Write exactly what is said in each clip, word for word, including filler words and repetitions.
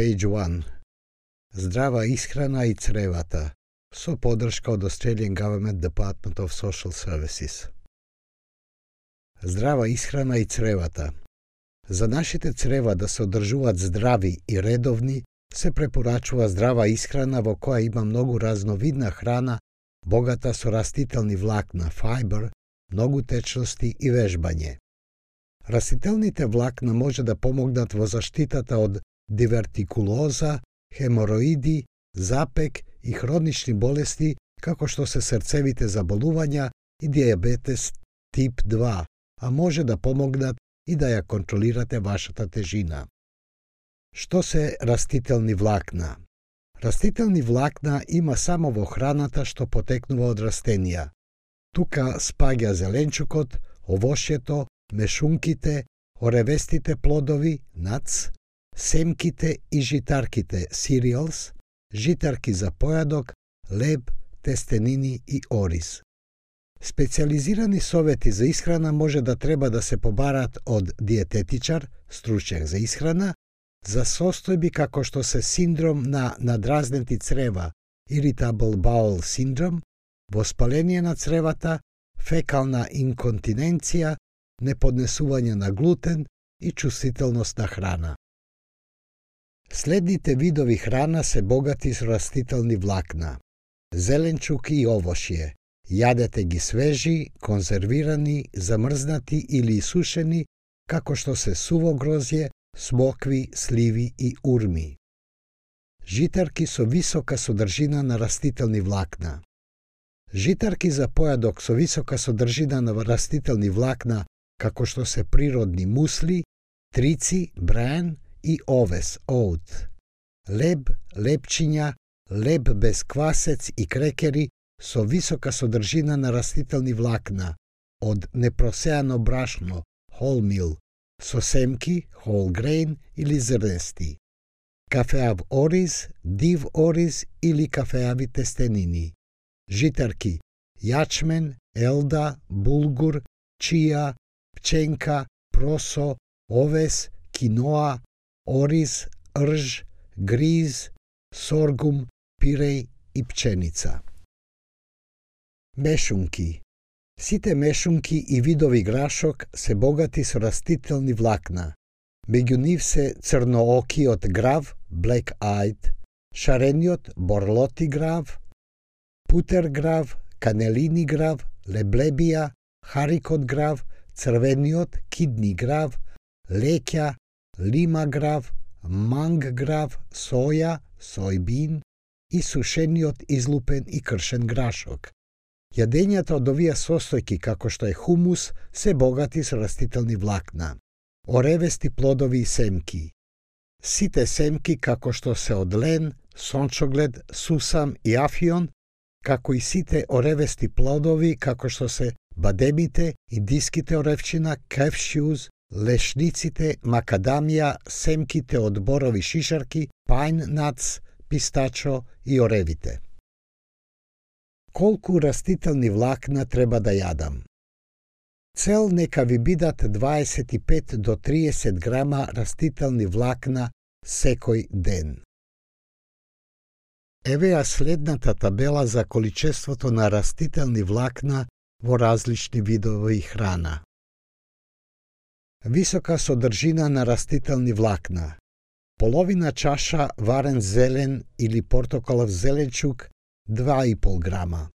Page one. Здрава исхрана и цревата со поддршка од Australian Government Department of Social Services. Здрава исхрана и цревата. За нашите црева да се одржуваат здрави и редовни, се препорачува здрава исхрана во која има многу разновидна храна, богата со растителни влакна, фајбер, многу течности и вежбање. Растителните влакна може да помогнат во заштитата од дивертикулоза, хемороиди, запек и хронични болести, како што се срцевите заболувања и дијабетес тип два, а може да помогнат и да ја контролирате вашата тежина. Што се растителни влакна? Растителни влакна има само во храната што потекнува од растенија. Тука спаѓа зеленчукот, овошјето, мешунките, оревестите плодови, nuts, семките и житарките, cereals, житарки за појадок, леб, тестенини и ориз. Специјализирани совети за исхрана може да треба да се побараат од диететичар, стручњак за исхрана, за состојби како што се синдром на надразнети црева, irritable bowel syndrome, воспаление на цревата, фекална инконтиненција, неподнесување на глутен и чувствителност на храна. Следните видови храна се богати со растителни влакна. Зеленчуки и овошје. Јадете ги свежи, конзервирани, замрзнати или исушени, како што се суво грозје, смокви, сливи и урми. Житарки со висока содржина на растителни влакна. Житарки за појадок со висока содржина на растителни влакна, како што се природни мусли, трици, бран и овес, оут. Леб, лепчиња, леб без квасец и крекери со висока содржина на растителни влакна, од непросеано брашно, wholemeal, со семки, whole grain или зрнести. Кафеав ориз, див ориз или кафеави тестенини. Житарки, јачмен, елда, булгур, чија, пченка, просо, овес, киноа, ориз, рж, гриз, соргум, пиреј и пченица. Мешунки. Сите мешунки и видови грашок се богати со растителни влакна. Меѓу нив се црноокиот грав, black-eyed, шарениот борлоти грав, путер грав, канелини грав, леблебија, харикот грав, црвениот кидни грав, леќа, лима грав, манг грав, соја, сојбин и сушениот излупен и кршен грашок. Јадењата од овие состојки, како што е хумус, се богати со растителни влакна. Оревести плодови и семки. Сите семки, како што се од лен, сончоглед, сусам и афион, како и сите оревести плодови, како што се бадемите, индиските оревчина, кефшјуз, лешниците, макадамија, семките од борови шишарки, пајн нац, пистачо и оревите. Колку растителни влакна треба да јадам? Цел нека ви бидат дваесет и пет до триесет грама растителни влакна секој ден. Еве ја следната табела за количеството на растителни влакна во различни видови храна. Висока содржина на растителни влакна. Половина чаша варен зелен или портокалов зеленчук два и пол грама.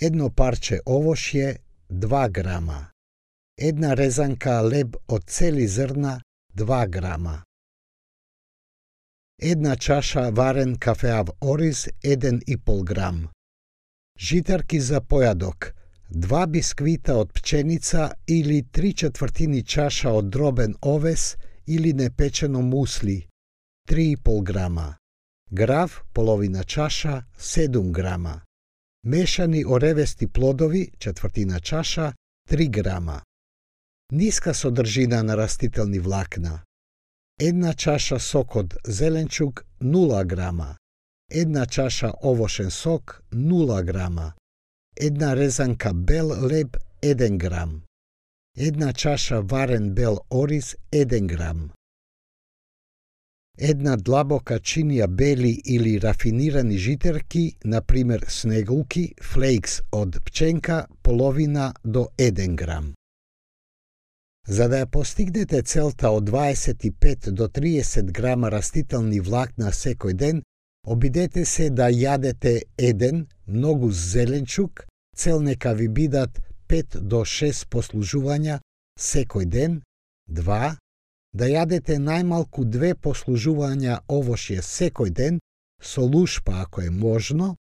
Едно парче овошје два грама. Една резанка леб од цели зрна два грама. Една чаша варен кафеав ориз еден и пол грам. Житарки за појадок два бисквита од пченица или три четвртини чаша од дробен овес или непечено мусли три и пол грама. Грав половина чаша седум грама. Мешани оревести плодови четвртина чаша три грама. Ниска содржина на растителни влакна. Една чаша сок од зеленчук нула грама. Една чаша овошен сок нула грама. Една резанка бел леб еден грам. Една чаша варен бел ориз еден грам. една длабока чинија бели или рафинирани житерки, на пример снегулки, флейкс од пченка, половина до еден грам. За да ја постигнете целта од дваесет и пет до триесет грама растителни влакна секој ден, обидете се да јадете еден многу зеленчук, цел нека ви бидат пет до шест послужувања секој ден, два да јадете најмалку две послужувања овошје секој ден, со лушпа ако е можно,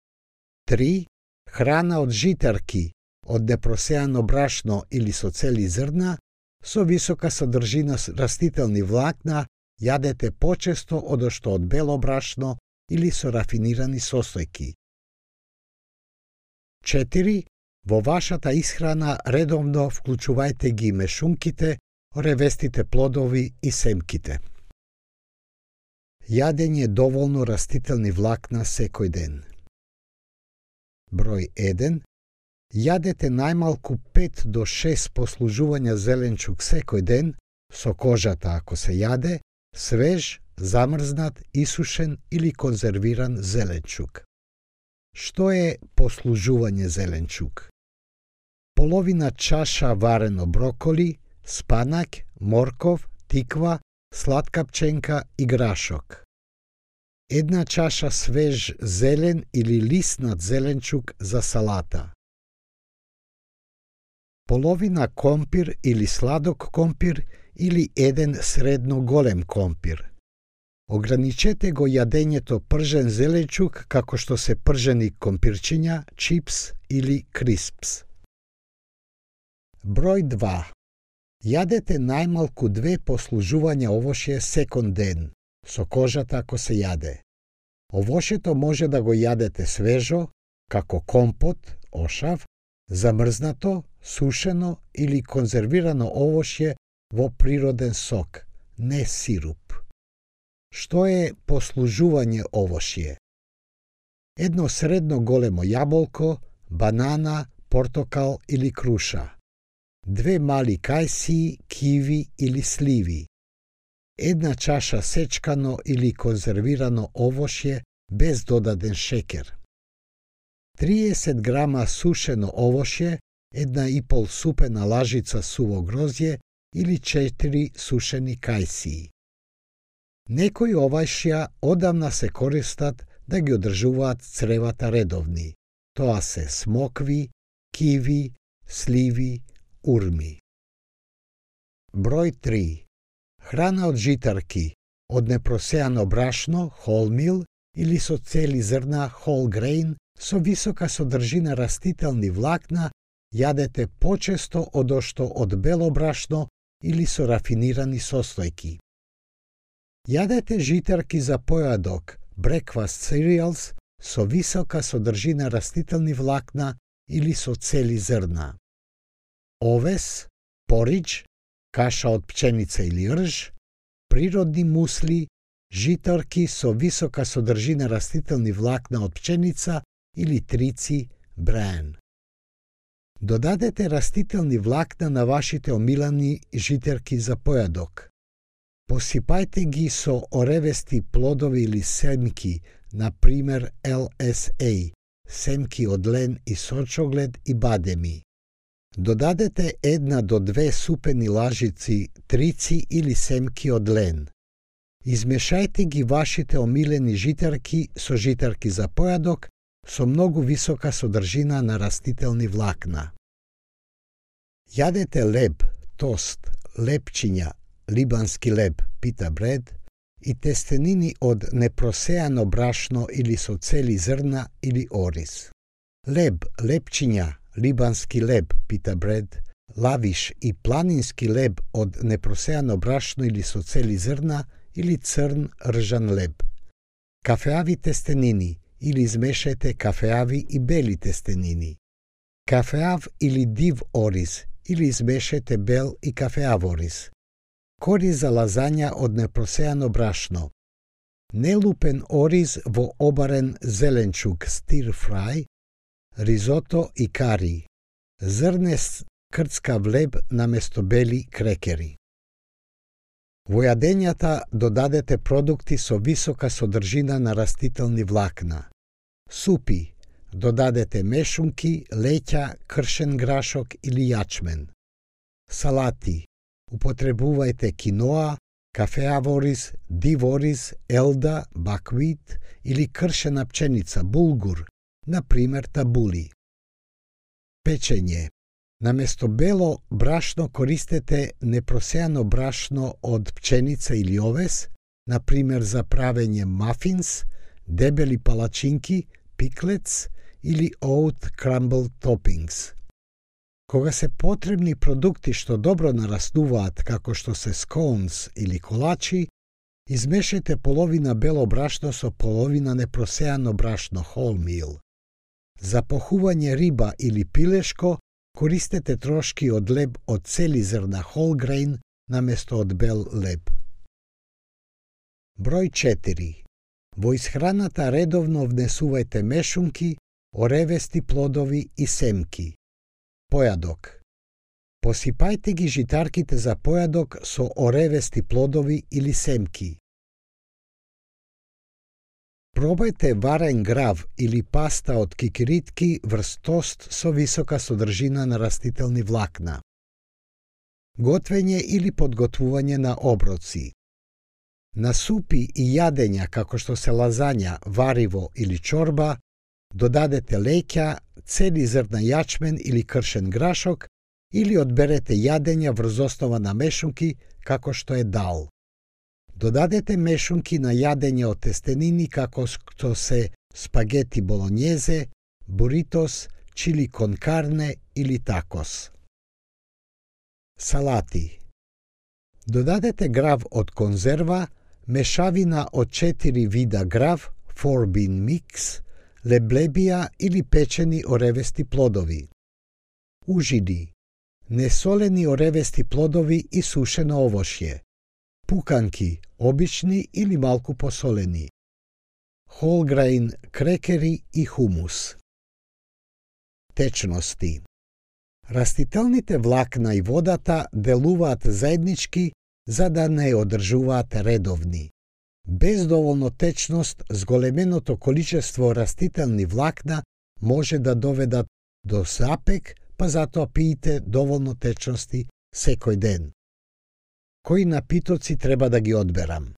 три храна од житарки, од непросеано брашно или со цели зрна, со висока содржина растителни влакна, јадете почесто одошто од бело брашно или со рафинирани состојки. четири Во вашата исхрана редовно вклучувајте ги мешунките, ревестите плодови и семките. Јадење доволно растителни влакна секој ден. Број еден. Јадете најмалку пет до шест послужувања зеленчук секој ден, со кожата ако се јаде, свеж, замрзнат, исушен или конзервиран зеленчук. Што е послужување зеленчук? Половина чаша варено броколи, спанак, морков, тиква, сладка пченка и грашок. Една чаша свеж зелен или лиснат зеленчук за салата. Половина компир или сладок компир или еден средно голем компир. Ограничете го јадењето пржен зеленчук како што се пржени компирчиња, чипс или криспс. Број два. Јадете најмалку две послужувања овошје секој ден, со кожата ако се јаде. Овошјето може да го јадете свежо, како компот, ошав, замрзнато, сушено или конзервирано овошје во природен сок, не сируп. Што е послужување овошје? Едно средно големо јаболко, банана, портокал или круша. Две мали кајсии, киви или сливи. Една чаша сечкано или конзервирано овошје без додаден шекер. триесет грама сушено овошје, една и пол супена лажица суво грозје или четири сушени кајсии. Некои овошја одамна се користат да ги одржуваат цревата редовни. Тоа се смокви, киви, сливи, урми. Број три. Храна од житарки, од непросеано брашно, wholemeal или со цели зрна whole grain, со висока содржина растителни влакна, јадете почесто одошто од бело брашно или со рафинирани состојки. Јадете житарки за појадок, breakfast cereals, со висока содржина растителни влакна или со цели зрна. Овес, поридж, каша од пченица или рж, природни мусли, житарки со висока содржина растителни влакна од пченица или трици, браен. Додадете растителни влакна на вашите омилани житарки за појадок. Посипајте ги со оревести плодови или семки, на пример ел ес ей, семки од лен и сочоглед и бадеми. Додадете една до две супени лажици трици или семки од лен. Измешајте ги вашите омилени житарки со житарки за појадок со многу висока содржина на растителни влакна. Јадете леб, тост, лепчиња, либански леб, пита бред, и тестенини од непросеано брашно или со цели зрна или ориз. Леб, лепчиња, либански леб, пита бред, лавиш и планински леб од непросеано брашно или со цели зрна или црн ржан леб. Кафеави тестенини или измешајте кафеави и бели тестенини. Кафеав или див ориз или измешајте бел и кафеав ориз. Кориз за лазања од непросеано брашно. Нелупен ориз во обарен зеленчук стир фрај, ризото и кари. Зрнест крцкав леб наместо бели крекери. Во јадењата додадете продукти со висока содржина на растителни влакна. Супи, додадете мешунки, леќа, кршен грашок или јачмен. Салати, употребувајте киноа, кафеавориз, дивориз, елда, баквит или кршена пченица, булгур, на пример табули. Печење. Наместо бело брашно користете непросеано брашно од пченица или овес, на пример за правење мафинс, дебели палачинки, пиклец или oat crumble toppings. Кога се потребни продукти што добро нараснуваат, како што се сконс или колачи, измешајте половина бело брашно со половина непросеано брашно wholemeal. За похување риба или пилешко, користете трошки од леб од цели зрна whole grain наместо од бел леб. Број четири. Во исхраната редовно внесувајте мешунки, оревести плодови и семки. Појадок. Посипајте ги житарките за појадок со оревести плодови или семки. Пробајте варен грав или паста од кикиритки врз тост со висока содржина на растителни влакна. Готвење или подготвување на оброци. На супи и јадења како што се лазања, вариво или чорба, додадете леќа, цели зрна јачмен или кршен грашок или одберете јадења врз основа на мешунки како што е дал. Додадете мешунки на јадења од тестенини како што се спагети болонјезе, буритос, чили кон карне или такос. Салати. Додадете грав од конзерва, мешавина од четири вида грав, four bean mix, леблебија или печени оревести плодови. Ужини. Несолени оревести плодови и сушено овошје. Пуканки, обични или малку посолени. Whole grain крекери и хумус. Течности. Растителните влакна и водата делуваат заеднички за да не одржуваат редовни. Без доволно течност, зголеменото количество растителни влакна може да доведат до запек, па затоа пиете доволно течности секој ден. Кои напитоци треба да ги одберам?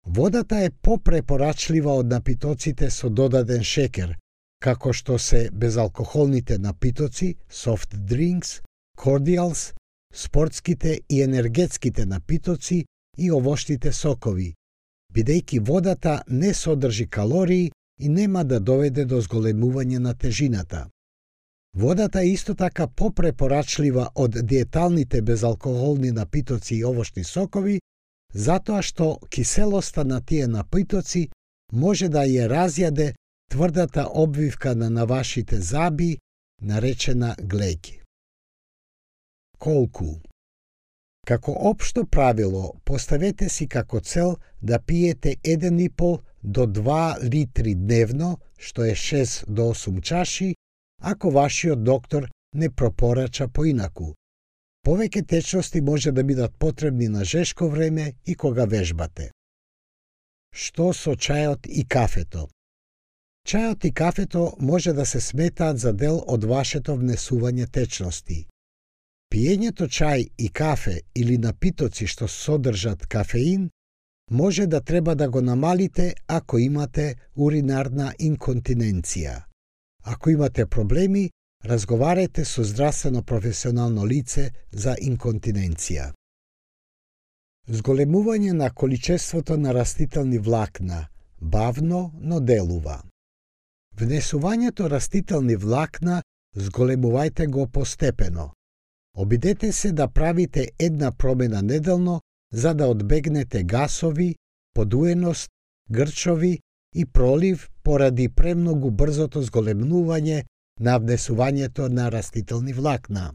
Водата е попрепорачлива од напитоците со додаден шекер, како што се безалкохолните напитоци, soft drinks, cordials, спортските и енергетските напитоци и овошните сокови, бидејќи водата не содржи калории и нема да доведе до зголемување на тежината. Водата е исто така попрепорачлива од диеталните безалкохолни напитоци и овошни сокови, затоа што киселоста на тие напитоци може да ја разјаде тврдата обвивка на на вашите заби, наречена глеќ. Колку? Како општо правило, поставете си како цел да пиете еден и пол до два литри дневно, што е шест до осум чаши, ако вашиот доктор не пропорача поинаку. Повеќе течности може да бидат потребни на жешко време и кога вежбате. Што со чајот и кафето? Чајот и кафето може да се сметаат за дел од вашето внесување течности. Пиењето чај и кафе или напитоци што содржат кафеин може да треба да го намалите ако имате уринарна инконтиненција. Ако имате проблеми, разговарајте со здравствено професионално лице за инконтиненција. Зголемување на количеството на растителни влакна, бавно, но делува. Внесувањето растителни влакна зголемувајте го постепено. Обидете се да правите една промена неделно за да одбегнете гасови, подуеност, грчови и пролив поради премногу брзото зголемнување на внесувањето на растителни влакна.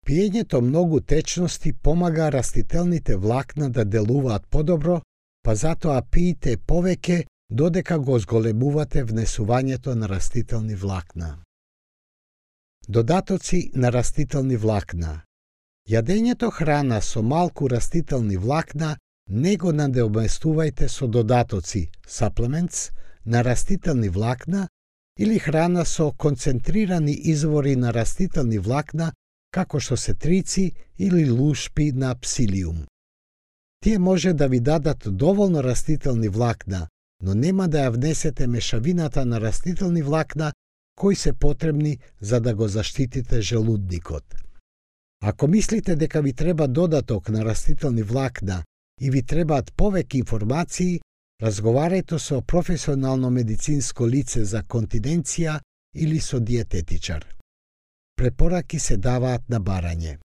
Пиењето многу течности помага растителните влакна да делуваат подобро, па затоа пиете повеќе додека го зголемувате внесувањето на растителни влакна. Додатоци на растителни влакна. Јадењето храна со малку растителни влакна не го надоместувајте со додатоци, supplements, на растителни влакна или храна со концентрирани извори на растителни влакна, како што се трици или лушпи на псилиум. Тие може да ви дадат доволно растителни влакна, но нема да ја внесете мешавината на растителни влакна кои се потребни за да го заштитите желудникот. Ако мислите дека ви треба додаток на растителни влакна и ви требаат повеќе информации, разговарајте со професионално медицинско лице за континенција или со диететичар. Препораки се даваат на барање.